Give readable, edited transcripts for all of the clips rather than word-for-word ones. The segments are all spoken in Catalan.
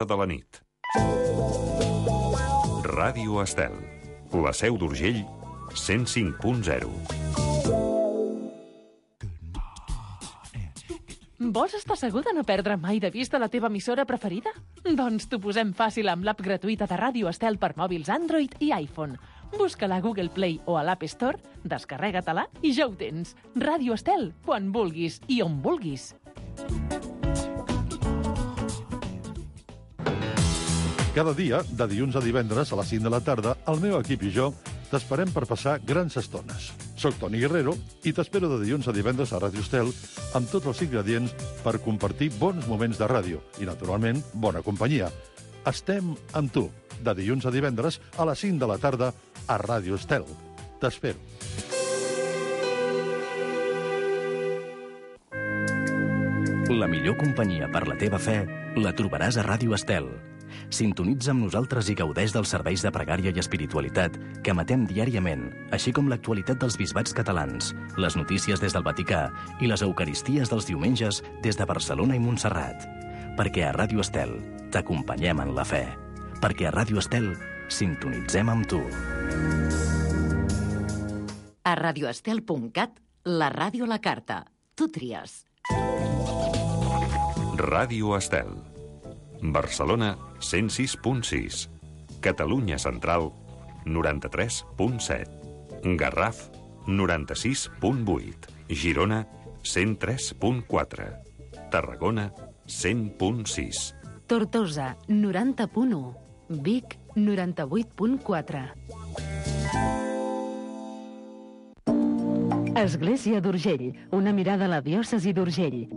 de la nit. Ràdio Estel, la Seu d'Urgell, 105.0. Vols estar segur de no perdre mai de vista la teva emissora preferida? Doncs t'ho posem fàcil amb l'app gratuïta de Ràdio Estel per mòbils Android i iPhone. Busca-la a Google Play o a l'App Store, descarrega-te-la i ja ho tens. Ràdio Estel, quan vulguis i on vulguis. Cada dia, de dilluns a divendres a les 5 de la tarda, el meu equip i jo t'esperem per passar grans estones. Soc Toni Guerrero i t'espero de dilluns a divendres a Ràdio Estel amb tots els ingredients per compartir bons moments de ràdio i, naturalment, bona companyia. Estem amb tu, de dilluns a divendres a les 5 de la tarda a Ràdio Estel. T'espero. La millor companyia per la teva fe la trobaràs a Ràdio Estel. Sintonitza amb nosaltres i gaudeix dels serveis de pregària i espiritualitat que emetem diàriament, així com l'actualitat dels bisbats catalans, les notícies des del Vaticà i les eucaristies dels diumenges des de Barcelona i Montserrat. Perquè a Ràdio Estel t'acompanyem en la fe. Perquè a Ràdio Estel sintonitzem amb tu. A radioestel.cat, la ràdio a la carta. Tu tries. Ràdio Estel. Barcelona, 106.6. Catalunya Central, 93.7. Garraf, 96.8. Girona, 103.4. Tarragona, 100.6. Tortosa, 90.1. Vic, 98.4. Església d'Urgell, una mirada a la diòcesi d'Urgell.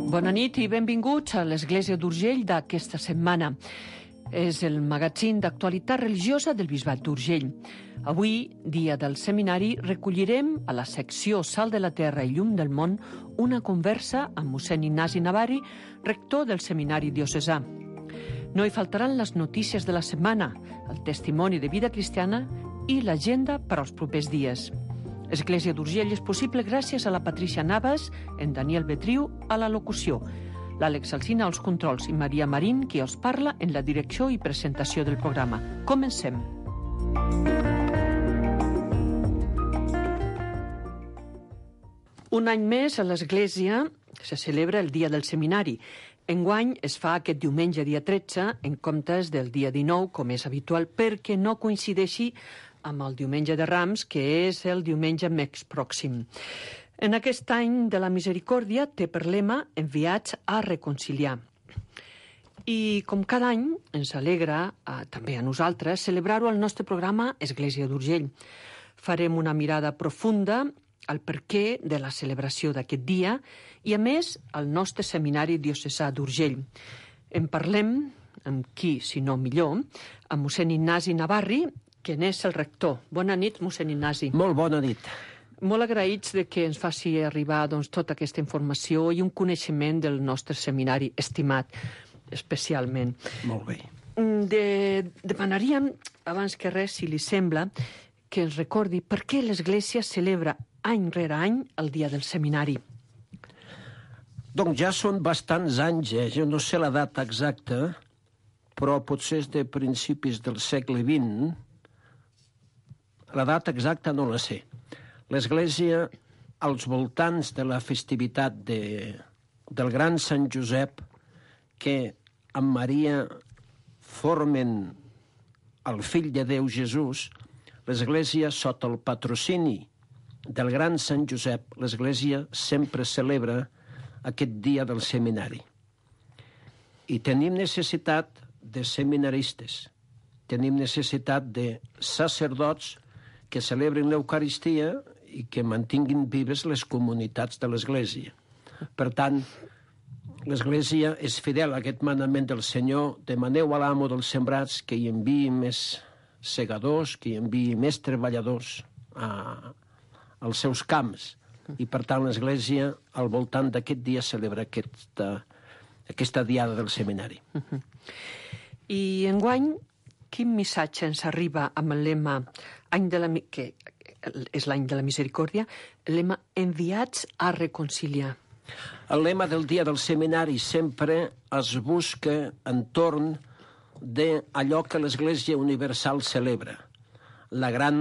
Bona nit i benvinguts a l'Església d'Urgell d'aquesta setmana. És el magazín d'actualitat religiosa del Bisbat d'Urgell. Avui, dia del seminari, recollirem a la secció Sal de la Terra i Llum del Món una conversa amb mossèn Ignasi Navarri, rector del seminari diocesà. No hi faltaran les notícies de la setmana, el testimoni de vida cristiana i l'agenda per als propers dies. Església d'Urgell és possible gràcies a la Patricia Navas, en Daniel Betriu a la locució, l'Àlex Alsina als controls i Maria Marín, qui els parla en la direcció i presentació del programa. Comencem. Un any més a l'Església se celebra el Dia del Seminari. Enguany es fa aquest diumenge, dia 13, en comptes del dia 19, com és habitual, perquè no coincideixi amb el diumenge de Rams, que és el diumenge més pròxim. En aquest any de la misericòrdia té per lema enviats a reconciliar. I com cada any ens alegra, també a nosaltres, celebrar-ho al nostre programa Església d'Urgell. Farem una mirada profunda al perquè de la celebració d'aquest dia i, a més, al nostre seminari diocesà d'Urgell. En parlem, amb qui, si no millor, amb mossèn Ignasi Navarri, que n'és el rector. Bona nit, mossèn Ignasi. Molt bona nit. Molt agraïts de que ens faci arribar tota aquesta informació i un coneixement del nostre seminari, estimat especialment. Molt bé. Demanaríem, abans que res, si li sembla, que ens recordi per què l'Església celebra any rere any el dia del seminari. Doncs ja són bastants anys, jo no sé la data exacta, però potser és de principis del segle XX. La data exacta no la sé. L'Església, als voltants de la festivitat del gran Sant Josep, que amb Maria formen el fill de Déu Jesús, l'Església, sota el patrocini del gran Sant Josep, l'Església sempre celebra aquest dia del seminari. I tenim necessitat de seminaristes, tenim necessitat de sacerdots que celebrin l'Eucaristia i que mantinguin vives les comunitats de l'Església. Per tant, l'Església és fidel a aquest manament del Senyor: demaneu a l'amo dels sembrats que hi enviï més segadors, que hi enviï més treballadors als seus camps. I, per tant, l'Església, al voltant d'aquest dia, celebra aquesta diada del seminari. I enguany, quin missatge ens arriba amb el lema, que és l'any de la misericòrdia, el lema enviats a reconciliar? El lema del dia del seminari sempre es busca entorn d'allò que l'Església Universal celebra. La gran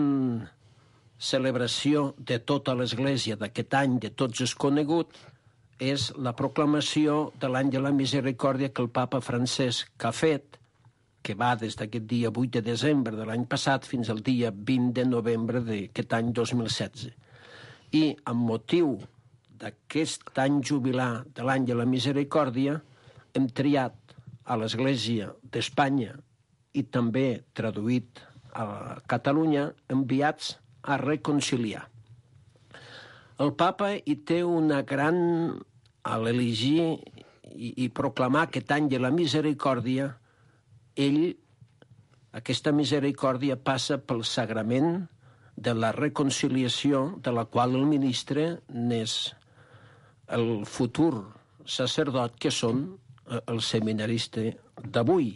celebració de tota l'Església d'aquest any, de tots és conegut, és la proclamació de l'any de la misericòrdia que el papa Francesc ha fet, que va des d'aquest dia 8 de desembre de l'any passat fins al dia 20 de novembre d'aquest any 2016. I amb motiu d'aquest any jubilar de l'any de la misericòrdia hem triat a l'Església d'Espanya i també traduït a Catalunya enviats a reconciliar. El papa hi té una gran... a l'elegir i proclamar aquest any de la misericòrdia, aquesta misericòrdia passa pel sagrament de la reconciliació, de la qual el ministre n'és el futur sacerdot, que són els seminaristes d'avui.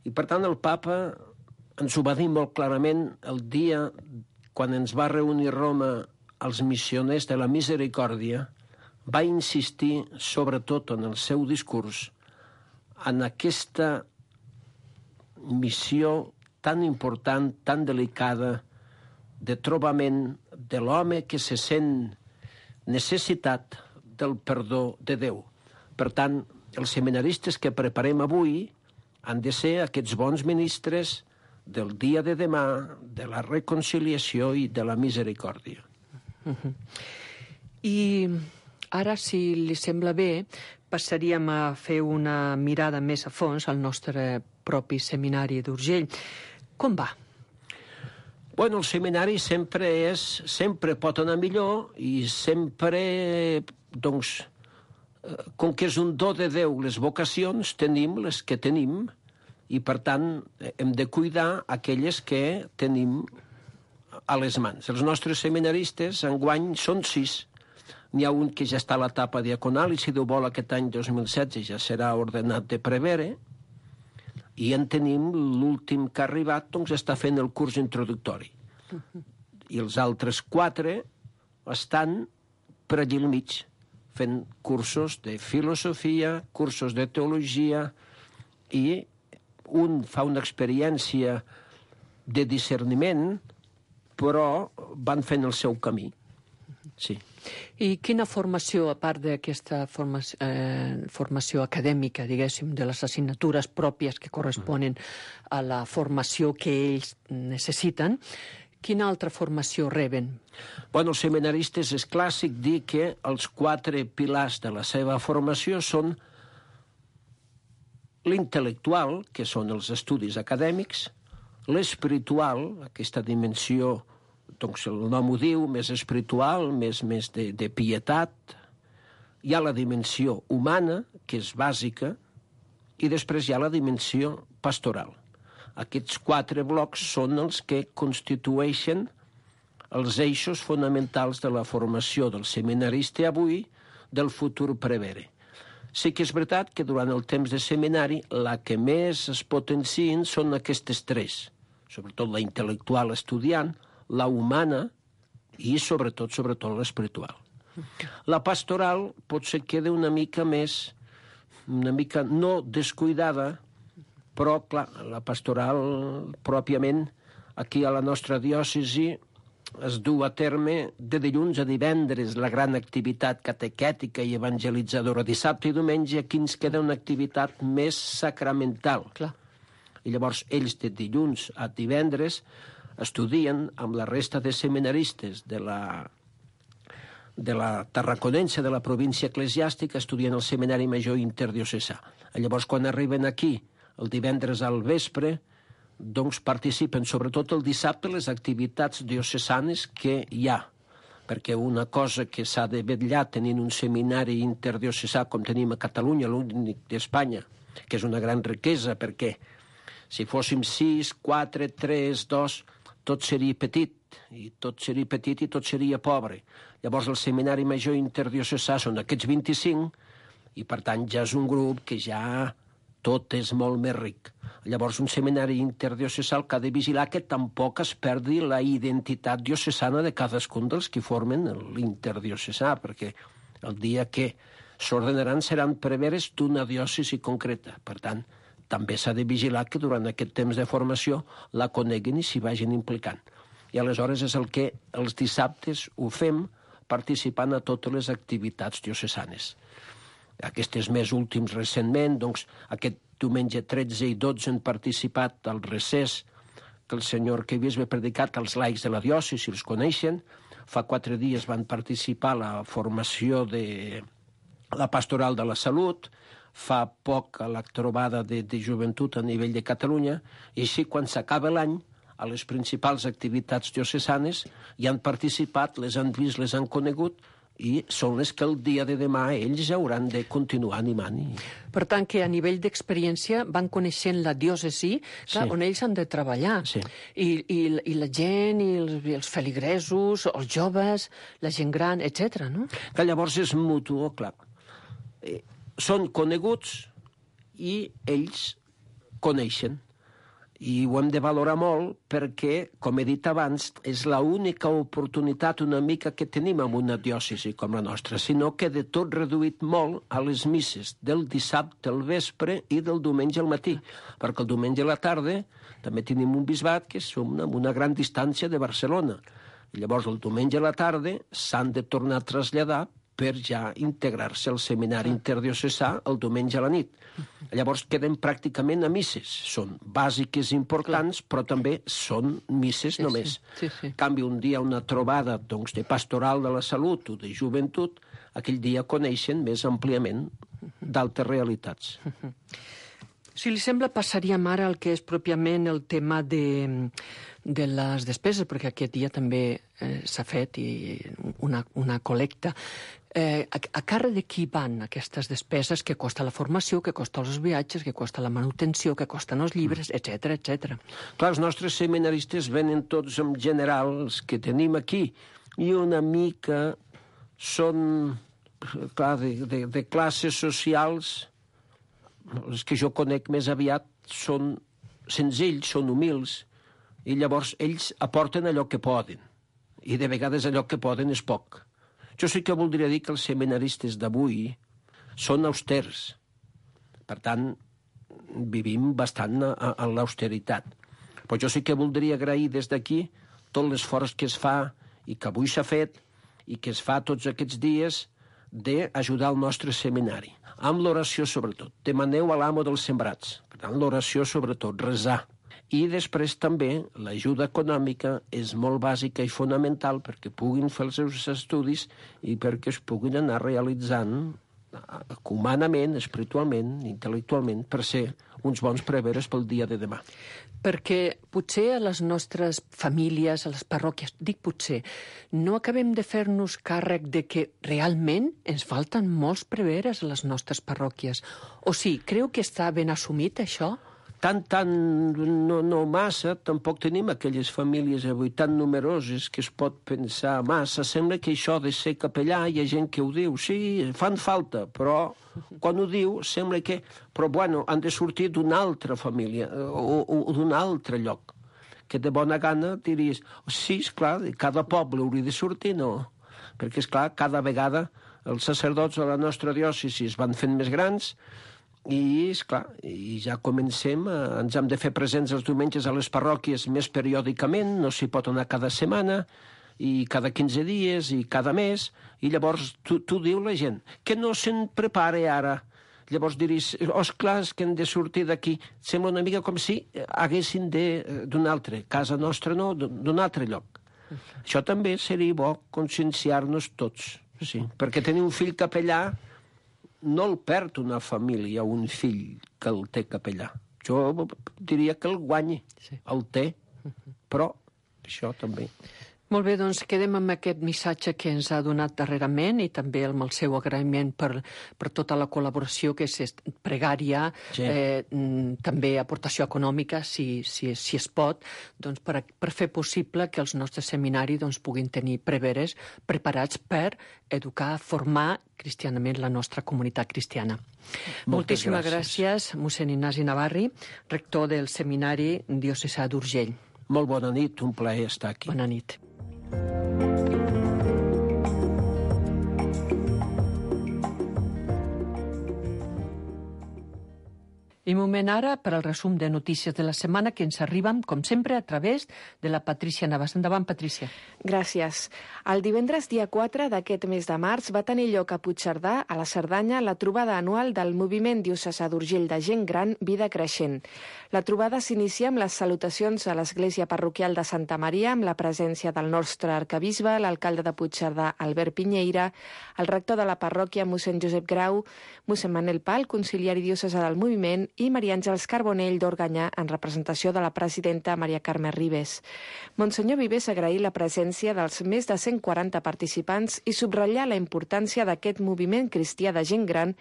I, per tant, el papa ens ho va dir molt clarament el dia quan ens va reunir a Roma els missioners de la misericòrdia, va insistir, sobretot en el seu discurs, en aquesta missió tan important, tan delicada, de trobament de l'home que se sent necessitat del perdó de Déu. Per tant, els seminaristes que preparem avui han de ser aquests bons ministres del dia de demà, de la reconciliació i de la misericòrdia. I ara, si li sembla bé, passaríem a fer una mirada més a fons al nostre propi seminari d'Urgell. Com va? Bueno, el seminari sempre pot anar millor i sempre, doncs, com que és un do de Déu, les vocacions tenim les que tenim i, per tant, hem de cuidar aquelles que tenim a les mans. Els nostres seminaristes, enguany, són 6. N'hi ha un que ja està a l'etapa diaconal i, si Déu vol, aquest any 2016 ja serà ordenat de prevere, i en tenim l'últim que ha arribat, doncs està fent el curs introductori. I els altres 4 estan per allí al mig, fent cursos de filosofia, cursos de teologia, i un fa una experiència de discerniment, però van fent el seu camí. Sí. I quina formació, a part d'aquesta formació acadèmica, diguéssim, de les assignatures pròpies que corresponen a la formació que ells necessiten, quina altra formació reben? Bueno, els seminaristes és clàssic dir que els 4 pilars de la seva formació són l'intel·lectual, que són els estudis acadèmics, l'espiritual, aquesta dimensió, doncs el nom ho diu, més espiritual, més de pietat. Hi ha la dimensió humana, que és bàsica, i després hi ha la dimensió pastoral. Aquests 4 blocs són els que constitueixen els eixos fonamentals de la formació del seminarista avui, del futur prevere. Sí que és veritat que durant el temps de seminari la que més es potencien són aquestes 3, sobretot la intel·lectual estudiant, la humana i sobretot l'espiritual. La pastoral potser queda una mica no descuidada, però clar, la pastoral pròpiament aquí a la nostra diòcesi es du a terme de dilluns a divendres la gran activitat catequètica i evangelitzadora. Dissabte i diumenge aquí ens queda una activitat més sacramental. Clar. I llavors ells de dilluns a divendres estudien amb la resta de seminaristes de la Tarraconense, de la província eclesiàstica, estudien el Seminari Major Interdiocesà. Llavors, quan arriben aquí, el divendres al vespre, doncs participen, sobretot el dissabte, les activitats diocesanes que hi ha. Perquè una cosa que s'ha de vetllar tenint un seminari interdiocesà com tenim a Catalunya, l'únic d'Espanya, que és una gran riquesa, perquè si fóssim 6, 4, 3, 2... tot seria petit i tot seria pobre. Llavors el Seminari Major Interdiocesà són aquests 25 i per tant ja és un grup que ja tot és molt més ric. Llavors un seminari interdiocesà que ha de vigilar que tampoc es perdi la identitat diocesana de cadascun dels que formen l'interdiocesà, perquè El dia que s'ordenaran seran preveres d'una diòcesi concreta. Per tant, també s'ha de vigilar que durant aquest temps de formació la coneguin i s'hi vagin implicant. I aleshores és el que els dissabtes ho fem participant a totes les activitats diocesanes. Aquests més últims recentment, doncs, aquest diumenge 13 i 12 han participat al recés que el senyor arquebisbe ha predicat als laics de la diòcesi, els coneixen. Fa 4 dies van participar a la formació de la pastoral de la salut, fa poc a la trobada de joventut a nivell de Catalunya, i així quan s'acaba l'any, a les principals activitats diocesanes hi han participat, les han vist, les han conegut, i són les que el dia de demà ells hauran de continuar animant. Per tant, que a nivell d'experiència van coneixent la diòcesi, clar, on ells han de treballar. Sí. I la gent, i els feligresos, els joves, la gent gran, etc. no? Que llavors és mutu, clar. Són coneguts i ells coneixen. I ho hem de valorar molt perquè, com he dit abans, és l'única oportunitat una mica que tenim en una diòcesi com la nostra, sinó que de tot reduït molt a les misses del dissabte al vespre i del diumenge al matí, perquè el diumenge a la tarda també tenim un bisbat que som a una gran distància de Barcelona. I llavors el diumenge a la tarda s'han de tornar a traslladar per ja integrar-se al seminari interdiocesà el diumenge a la nit. Llavors queden pràcticament a misses. Són bàsiques importants, però també són misses només. En canvi, un dia una trobada doncs, de pastoral de la salut o de joventut, aquell dia coneixen més àmpliament d'altres realitats. Si li sembla, passaríem ara al que és pròpiament el tema de les despeses, perquè aquest dia també s'ha fet una col·lecta. A càrrec de qui van aquestes despeses que costa la formació, que costa els viatges, que costa la manutenció, que costen els llibres, etc etc. Clar, els nostres seminaristes venen tots en general, els que tenim aquí, i una mica són, clar, de classes socials. Els que jo conec més aviat són senzills, són humils, i llavors ells aporten allò que poden, i de vegades allò que poden és poc. Jo sí que voldria dir que els seminaristes d'avui són austers. Per tant, vivim bastant en l'austeritat. Però jo sí que voldria agrair des d'aquí tot l'esforç que es fa i que avui s'ha fet i que es fa tots aquests dies d'ajudar el nostre seminari. Amb l'oració, sobretot. Demaneu a l'amo dels sembrats. Per tant, l'oració, sobretot, rezar. I després també l'ajuda econòmica és molt bàsica i fonamental perquè puguin fer els seus estudis i perquè es puguin anar realitzant humanament, espiritualment, intel·lectualment, per ser uns bons preveres pel dia de demà. Perquè potser a les nostres famílies, a les parròquies, dic potser, no acabem de fer-nos càrrec de que realment ens falten molts preveres a les nostres parròquies. O sí, creu que està ben assumit això? No massa, tampoc tenim aquelles famílies avui tan numeroses que es pot pensar massa. Sembla que això de ser capellà hi ha gent que ho diu, sí, fan falta, però quan ho diu sembla que... Però bueno, han de sortir d'una altra família o d'un altre lloc. Que de bona gana diries, sí, esclar, cada poble hauria de sortir, no? Perquè, esclar, cada vegada els sacerdots de la nostra diòcesi es van fent més grans. I, esclar, i ja comencem, ens hem de fer presents els diumenges a les parròquies més periòdicament, no s'hi pot anar cada setmana, i cada 15 dies, i cada mes, i llavors tu diu la gent, que no se'n prepare ara. Llavors diries, esclar, és que hem de sortir d'aquí. Sembla una mica com si haguessin d'un altre, casa nostra no, d'un altre lloc. Això també seria bo conscienciar-nos tots, sí, perquè tenir un fill capellà no el perd una família, un fill que el té capellà. Jo diria que el guanyi, el té, però això també. Molt bé, doncs quedem amb aquest missatge que ens ha donat darrerament i també amb el seu agraïment per tota la col·laboració que és pregària, també aportació econòmica, si es pot, doncs per fer possible que els nostres seminaris puguin tenir preveres preparats per educar, formar cristianament la nostra comunitat cristiana. Moltíssimes gràcies, mossèn Ignasi Navarri, rector del Seminari Diocesà d'Urgell. Molt bona nit, un plaer estar aquí. Bona nit. I moment ara per al resum de notícies de la setmana que ens arriben, com sempre, a través de la Patrícia Navas. Endavant, Patrícia. Gràcies. El divendres dia 4 d'aquest mes de març va tenir lloc a Puigcerdà, a la Cerdanya, la trobada anual del Moviment Diocesà d'Urgell de Gent Gran, Vida Creixent. La trobada s'inicia amb les salutacions a l'Església Parroquial de Santa Maria, amb la presència del nostre arcabisbe, l'alcalde de Puigcerdà, Albert Pinyeira, el rector de la parròquia, mossèn Josep Grau, mossèn Manel Pal, conciliari diocesà del moviment, i Maria Àngels Carbonell d'Organyà, en representació de la presidenta Maria Carme Ribes. Monsenyor Vives agraí la presència dels més de 140 participants i subratllar la importància d'aquest moviment cristià de gent gran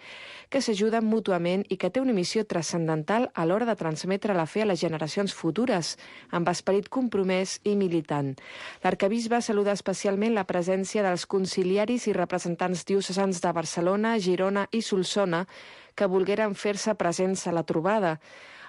que s'ajuden mútuament i que té una missió transcendental a l'hora de transmetre la fe a les generacions futures, amb esperit compromès i militant. L'arcabisbe saluda especialment la presència dels conciliaris i representants diocesans de Barcelona, Girona i Solsona, que volgueren fer-se presents a la trobada.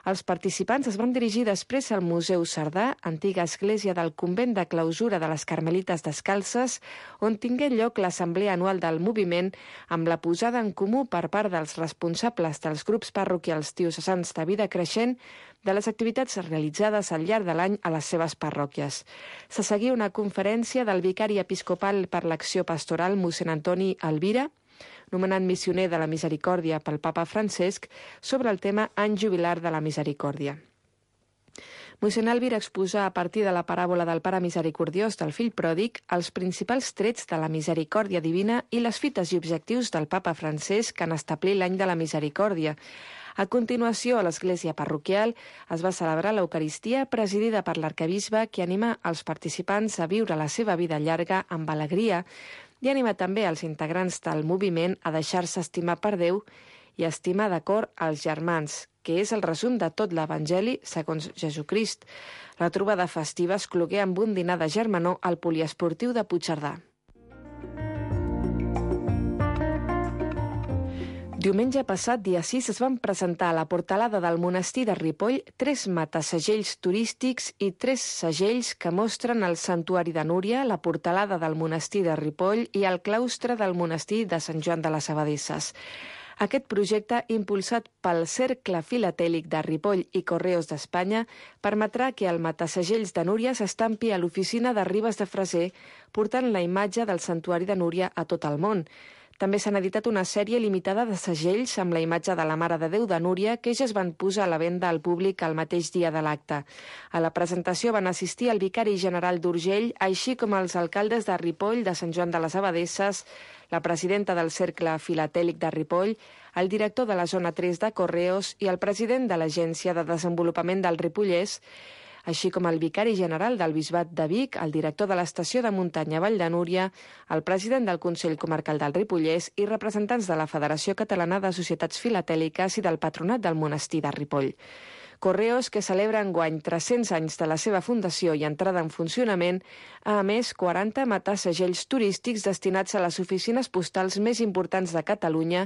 Els participants es van dirigir després al Museu Cerdà, antiga església del convent de clausura de les Carmelites Descalces, on tingué lloc l'assemblea anual del moviment amb la posada en comú per part dels responsables dels grups parroquials diocesans de Vida Creixent de les activitats realitzades al llarg de l'any a les seves parròquies. Se seguia una conferència del vicari episcopal per l'acció pastoral, mossèn Antoni Alvira, nomenat missioner de la Misericòrdia pel papa Francesc, sobre el tema Any Jubilar de la Misericòrdia. Mossèn Alvira exposa a partir de la paràbola del pare misericordiós del fill pròdig els principals trets de la misericòrdia divina i les fites i objectius del papa Francesc en establir l'any de la misericòrdia. A continuació, a l'església parroquial es va celebrar l'Eucaristia presidida per l'arcabisbe, que anima els participants a viure la seva vida llarga amb alegria i anima també els integrants del moviment a deixar-se estimar per Déu i estimar d'acord als germans, que és el resum de tot l'Evangeli segons Jesucrist. La trobada festiva es clogué amb un dinar de germanor al poliesportiu de Puigcerdà. Diumenge passat, dia 6, es van presentar a la portalada del monestir de Ripoll 3 matasegells turístics i 3 segells que mostren el santuari de Núria, la portalada del monestir de Ripoll i el claustre del monestir de Sant Joan de les Abadesses. Aquest projecte, impulsat pel Cercle Filatèlic de Ripoll i Correos d'Espanya, permetrà que el matasegells de Núria s'estampi a l'oficina de Ribes de Freser, portant la imatge del santuari de Núria a tot el món. També s'han editat una sèrie limitada de segells amb la imatge de la Mare de Déu de Núria que ja es van posar a la venda al públic el mateix dia de l'acte. A la presentació van assistir el vicari general d'Urgell, així com els alcaldes de Ripoll, de Sant Joan de les Abadesses, la presidenta del Cercle Filatèlic de Ripoll, el director de la zona 3 de Correos i el president de l'Agència de Desenvolupament del Ripollès, així com el vicari general del Bisbat de Vic, el director de l'estació de muntanya Vall de Núria, el president del Consell Comarcal del Ripollès i representants de la Federació Catalana de Societats Filatèliques i del Patronat del Monestir de Ripoll. Correos, que celebra enguany 300 anys de la seva fundació i entrada en funcionament, ha emès 40 matasegells turístics destinats a les oficines postals més importants de Catalunya,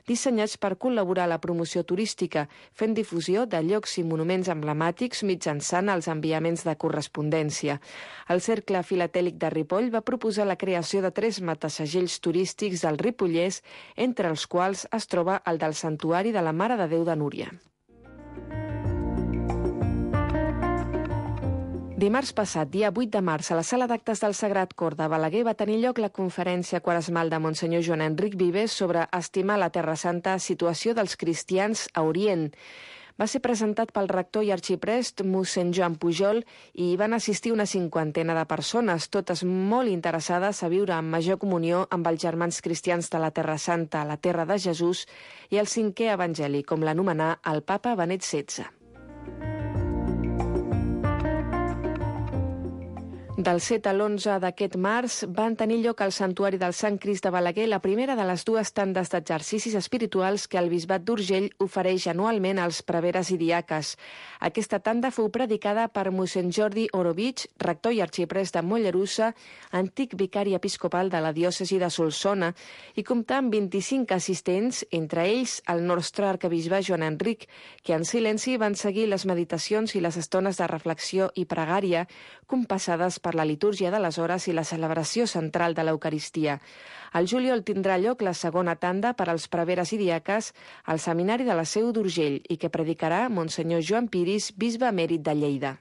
dissenyats per col·laborar a la promoció turística, fent difusió de llocs i monuments emblemàtics mitjançant els enviaments de correspondència. El Cercle Filatèlic de Ripoll va proposar la creació de 3 matasegells turístics del Ripollès, entre els quals es troba el del Santuari de la Mare de Déu de Núria. Dimarts passat, dia 8 de març, a la sala d'actes del Sagrat Cor de Balaguer va tenir lloc la conferència quaresmal de Monsenyor Joan Enric Vives sobre estimar la Terra Santa, situació dels cristians a Orient. Va ser presentat pel rector i arxiprest mossèn Joan Pujol i hi van assistir una 50ena de persones, totes molt interessades a viure en major comunió amb els germans cristians de la Terra Santa, la terra de Jesús, i el 5è evangeli, com l'anomenà el papa Benet XVI. Del 7 a l'11 d'aquest març van tenir lloc al Santuari del Sant Crist de Balaguer la primera de les 2 tandes d'exercicis espirituals que el Bisbat d'Urgell ofereix anualment als preveres i diaques. Aquesta tanda fou predicada per mossèn Jordi Orovich, rector i arxiprest de Mollerussa, antic vicari episcopal de la diòcesi de Solsona, i comptà amb 25 assistents, entre ells el nostre arcabisbe Joan Enric, que en silenci van seguir les meditacions i les estones de reflexió i pregària compassades per per la litúrgia de les hores i la celebració central de l'Eucaristia. Al juliol tindrà lloc la segona tanda per als preveres i diaques al Seminari de la Seu d'Urgell i que predicarà Monsenyor Joan Piris, bisbe emèrit de Lleida.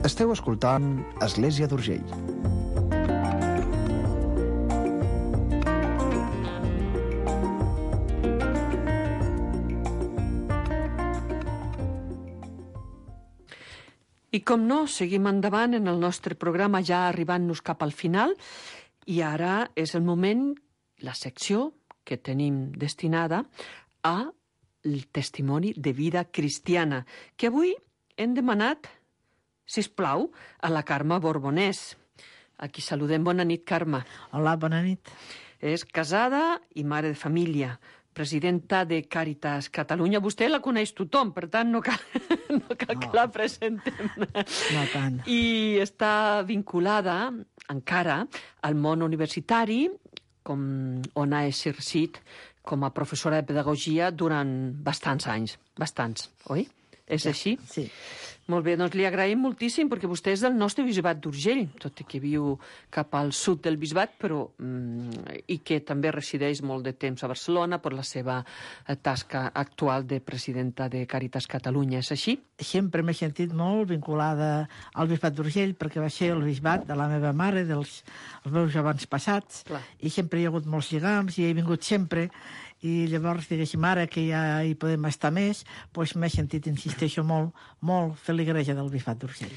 Esteu escoltant Església d'Urgell. I com no, seguim endavant en el nostre programa, ja arribant-nos cap al final, i ara és el moment, la secció que tenim destinada a el testimoni de vida cristiana, que avui hem demanat, sisplau, a la Carme Borbonès. Aquí saludem. Bona nit, Carme. Hola, bona nit. És casada i mare de família, presidenta de Càritas Catalunya. Vostè la coneix tothom, per tant no cal que la presentem. No tant. I està vinculada encara al món universitari, on ha exercit com a professora de pedagogia durant bastants anys. Bastants, oi? És així? Sí. Molt bé, doncs li agraïm moltíssim, perquè vostè és del nostre bisbat d'Urgell, tot i que viu cap al sud del bisbat, però i que també resideix molt de temps a Barcelona per la seva tasca actual de presidenta de Càritas Catalunya. És així? Sempre m'he sentit molt vinculada al bisbat d'Urgell, perquè va ser el bisbat de la meva mare, dels meus avantpassats, i sempre hi ha hagut molts lligams, i he vingut sempre, i llavors, diguéssim, ara que ja hi podem estar més, doncs m'he sentit, insisteixo, molt feligreja del bisbat d'Urgell.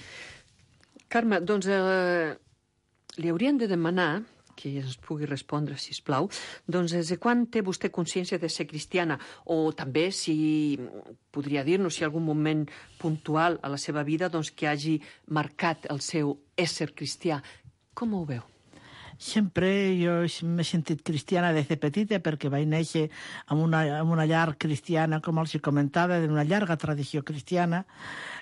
Carme, doncs li hauríem de demanar que ens pugui respondre, sisplau, doncs des de quan té vostè consciència de ser cristiana? O també, si podria dir-nos, si algun moment puntual a la seva vida doncs, que hagi marcat el seu ésser cristià. Com ho veu? Sempre jo m'he sentit cristiana des de petita perquè vaig néixer en una llar cristiana, com els comentava, d'una llarga tradició cristiana.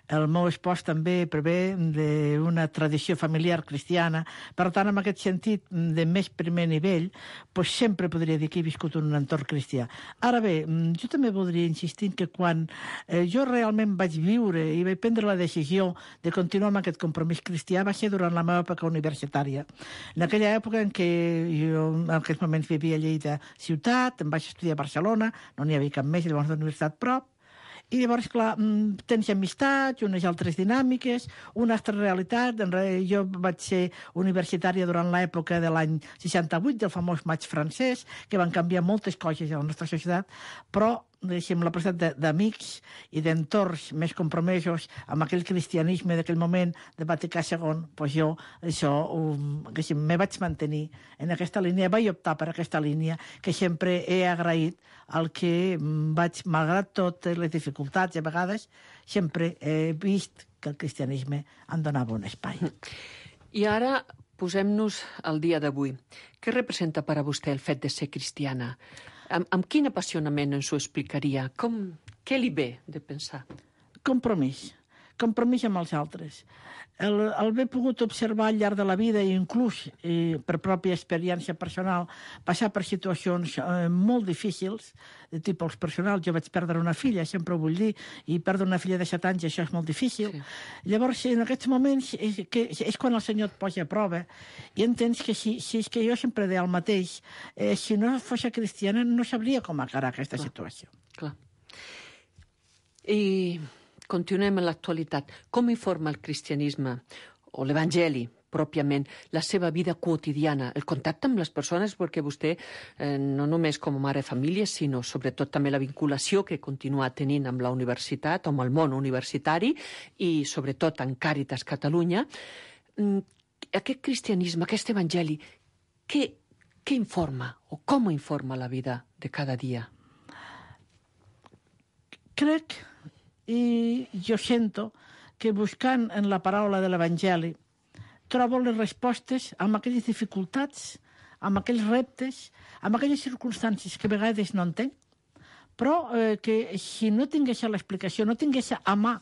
El meu espòs també prové d'una tradició familiar cristiana. Per tant, en aquest sentit, de més primer nivell, doncs sempre podria dir que he viscut en un entorn cristià. Ara bé, jo també voldria insistir que quan jo realment vaig viure i vaig prendre la decisió de continuar amb aquest compromís cristià va ser durant la meva època universitària. En aquella època en què jo en aquests moments vivia a Lleida ciutat, em vaig estudiar a Barcelona, no n'hi havia cap més, llavors de universitat prop, i llavors, clar, tens amistats, unes altres dinàmiques, una altra realitat. Jo vaig ser universitària durant l'època de l'any 68, del famós maig francès, que van canviar moltes coses a la nostra societat, però la presència d'amics i d'entorns més compromesos amb aquell cristianisme d'aquell moment de Vaticà II, doncs jo això me vaig mantenir en aquesta línia, vaig optar per aquesta línia que sempre he agraït al que vaig, malgrat totes les dificultats a vegades, sempre he vist que el cristianisme em donava un espai. I ara posem-nos al dia d'avui. Què representa per a vostè el fet de ser cristiana? Amb quin apassionament ens ho explicaria? Què li ve de pensar? Compromís amb els altres. El haver pogut observar al llarg de la vida i inclús per pròpia experiència personal passar per situacions molt difícils de tipus personal. Jo vaig perdre una filla, sempre ho vull dir, i perdre una filla de 7 anys, això és molt difícil. Sí. Llavors, en aquests moments és quan el Senyor et posa a prova i entens que si és que jo sempre deia el mateix, si no fos cristiana no sabria com encarar aquesta situació. Clar. I continuem en l'actualitat. Com informa el cristianisme o l'evangeli pròpiament la seva vida quotidiana, el contacte amb les persones, perquè vostè no només com a mare de família, sinó sobretot també la vinculació que continua tenint amb la universitat, amb el món universitari i sobretot en Càritas Catalunya. Aquest cristianisme, aquest evangeli, què informa o com informa la vida de cada dia? Crec i jo sento que buscant en la paraula de l'Evangeli trobo les respostes amb aquelles dificultats, amb aquells reptes, amb aquelles circumstàncies que a vegades no entenc, però que si no tingués l'explicació, no tingués a mà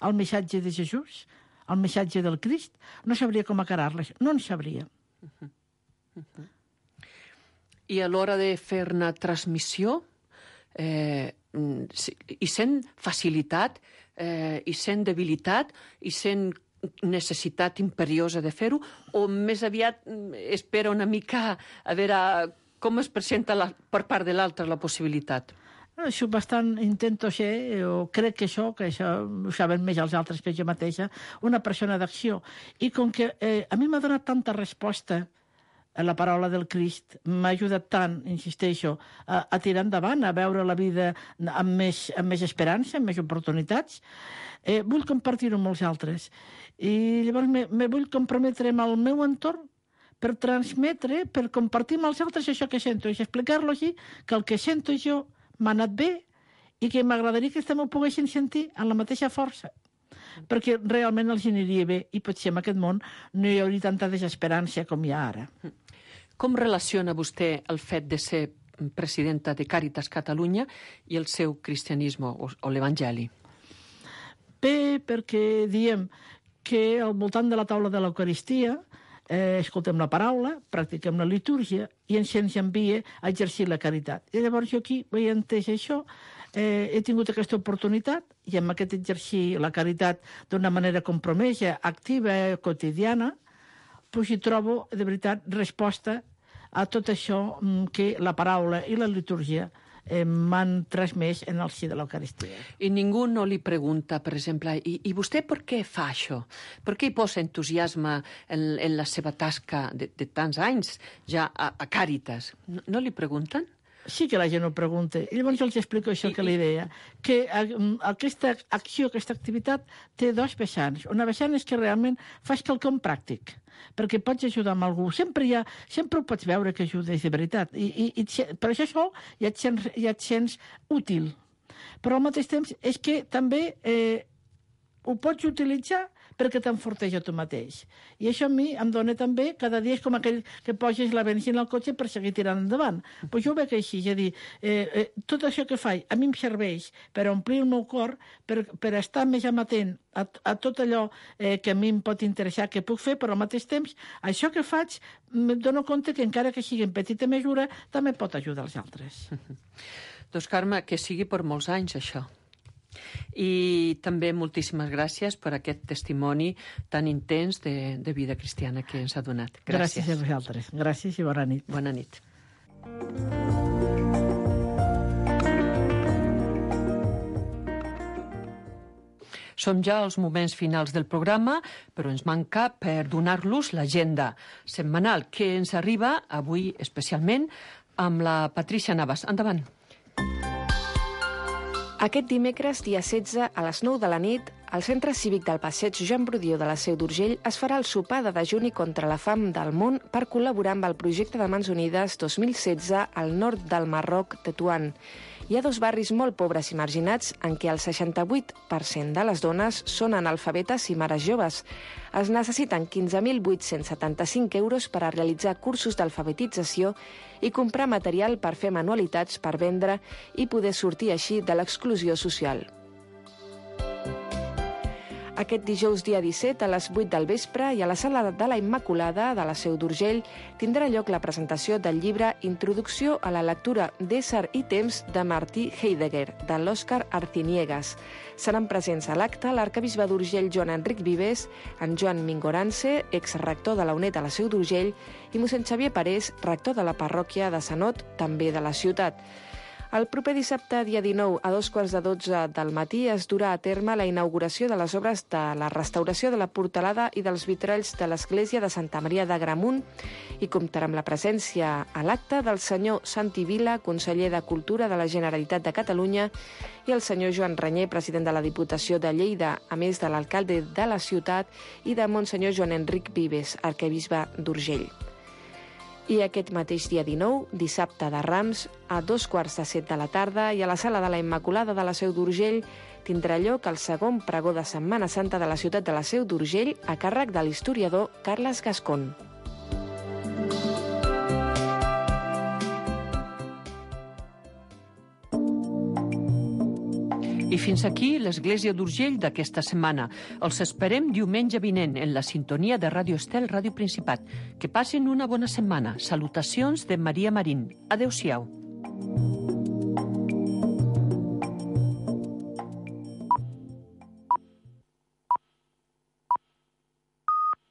el missatge de Jesús, el missatge del Crist, no sabria com encarar-les, no en sabria. I a l'hora de fer una transmissió, i sent facilitat, i sent debilitat, i sent necessitat imperiosa de fer-ho, o més aviat espera una mica a veure com es presenta per part de l'altre la possibilitat? Això bastant intento ser, o crec que això ho saben més els altres que jo mateixa, una persona d'acció. I com que a mi m'ha donat tanta resposta a la paraula del Crist, m'ha ajudat tant, insisteixo, a tirar endavant, a veure la vida amb més esperança, amb més oportunitats, vull compartir-ho amb els altres. I llavors me vull comprometre amb el meu entorn per transmetre, per compartir amb els altres això que sento, i explicar-lo així, que el que sento jo m'ha anat bé i que m'agradaria que també ho poguessin sentir amb la mateixa força, perquè realment els aniria bé i potser en aquest món no hi hauria tanta desesperança com hi ha ara. Com relaciona vostè el fet de ser presidenta de Càritas Catalunya i el seu cristianisme o l'Evangeli? Bé, perquè diem que al voltant de la taula de l'Eucaristia escoltem la paraula, practiquem la litúrgia i ens envia a exercir la caritat. I llavors jo aquí he entès això, he tingut aquesta oportunitat i amb aquest exercir la caritat d'una manera compromesa, activa, quotidiana, doncs hi trobo, de veritat, resposta a tot això que la paraula i la litúrgia m'han transmès en el si de l'Eucaristia. I ningú no li pregunta, per exemple, i vostè per què fa això? Per què hi posa entusiasme en la seva tasca de tants anys ja a Càritas? No li pregunten? Sí que la gent ho pregunta. I llavors jo els explico això que li deia, que aquesta acció, aquesta activitat té dos vessants. Una vessant és que realment fas quelcom pràctic, perquè pots ajudar amb algú. Sempre ho pots veure que ajudes de veritat. Per això ja et sents útil. Però al mateix temps és que també ho pots utilitzar perquè t'enforteix a tu mateix. I això a mi em dona també, cada dia és com aquell que poses la benzina al cotxe per seguir tirant endavant. Pues jo ho veig així, és a dir, tot això que faig a mi em serveix per omplir el meu cor, per estar més amatent a tot allò que a mi em pot interessar, que puc fer, però al mateix temps, això que faig, em dono compte que encara que sigui en petita mesura, també pot ajudar els altres. Doncs, Carme, que sigui per molts anys, això. I també moltíssimes gràcies per aquest testimoni tan intens de vida cristiana que ens ha donat. Gràcies a vosaltres. Gràcies i bona nit. Bona nit. Som ja als moments finals del programa, però ens manca per donar-los l'agenda setmanal que ens arriba avui especialment amb la Patrícia Navas. Endavant. Aquest dimecres, dia 16, a les 9 de la nit, al Centre Cívic del Passeig Joan Brudió de la Seu d'Urgell es farà el sopar de dejuni contra la fam del món per col·laborar amb el projecte de Mans Unides 2016 al nord del Marroc, Tetuan. Hi ha dos barris molt pobres i marginats en què el 68% de les dones són analfabetes i mares joves. Es necessiten 15.875 euros per a realitzar cursos d'alfabetització i comprar material per fer manualitats per vendre i poder sortir així de l'exclusió social. Aquest dijous, dia 17, a les 8 del vespre i a la Sala de la Immaculada de la Seu d'Urgell tindrà lloc la presentació del llibre Introducció a la lectura d'Ésser i temps de Martí Heidegger, de l'Òscar Arciniegas. Seran presents a l'acte l'arcabisbe d'Urgell Joan Enric Vives, en Joan Mingorance, exrector de la UNED a la Seu d'Urgell, i mossèn Xavier Parés, rector de la parròquia de Sanot, també de la ciutat. El proper dissabte, dia 19, a 11:15 del matí, es durà a terme la inauguració de les obres de la restauració de la portalada i dels vitralls de l'església de Santa Maria d'Agramunt i comptarà amb la presència a l'acte del senyor Santi Vila, conseller de Cultura de la Generalitat de Catalunya, i el senyor Joan Renyer, president de la Diputació de Lleida, a més de l'alcalde de la ciutat i de Monsenyor Joan Enric Vives, arquebisbe d'Urgell. I aquest mateix dia 19, dissabte de Rams, a 14:15 de la tarda i a la Sala de la Immaculada de la Seu d'Urgell tindrà lloc el segon pregó de Setmana Santa de la ciutat de la Seu d'Urgell a càrrec de l'historiador Carles Gascón. I fins aquí l'Església d'Urgell d'aquesta setmana. Els esperem diumenge vinent en la sintonia de Ràdio Estel, Ràdio Principat. Que passin una bona setmana. Salutacions de Maria Marín. Adéu-siau.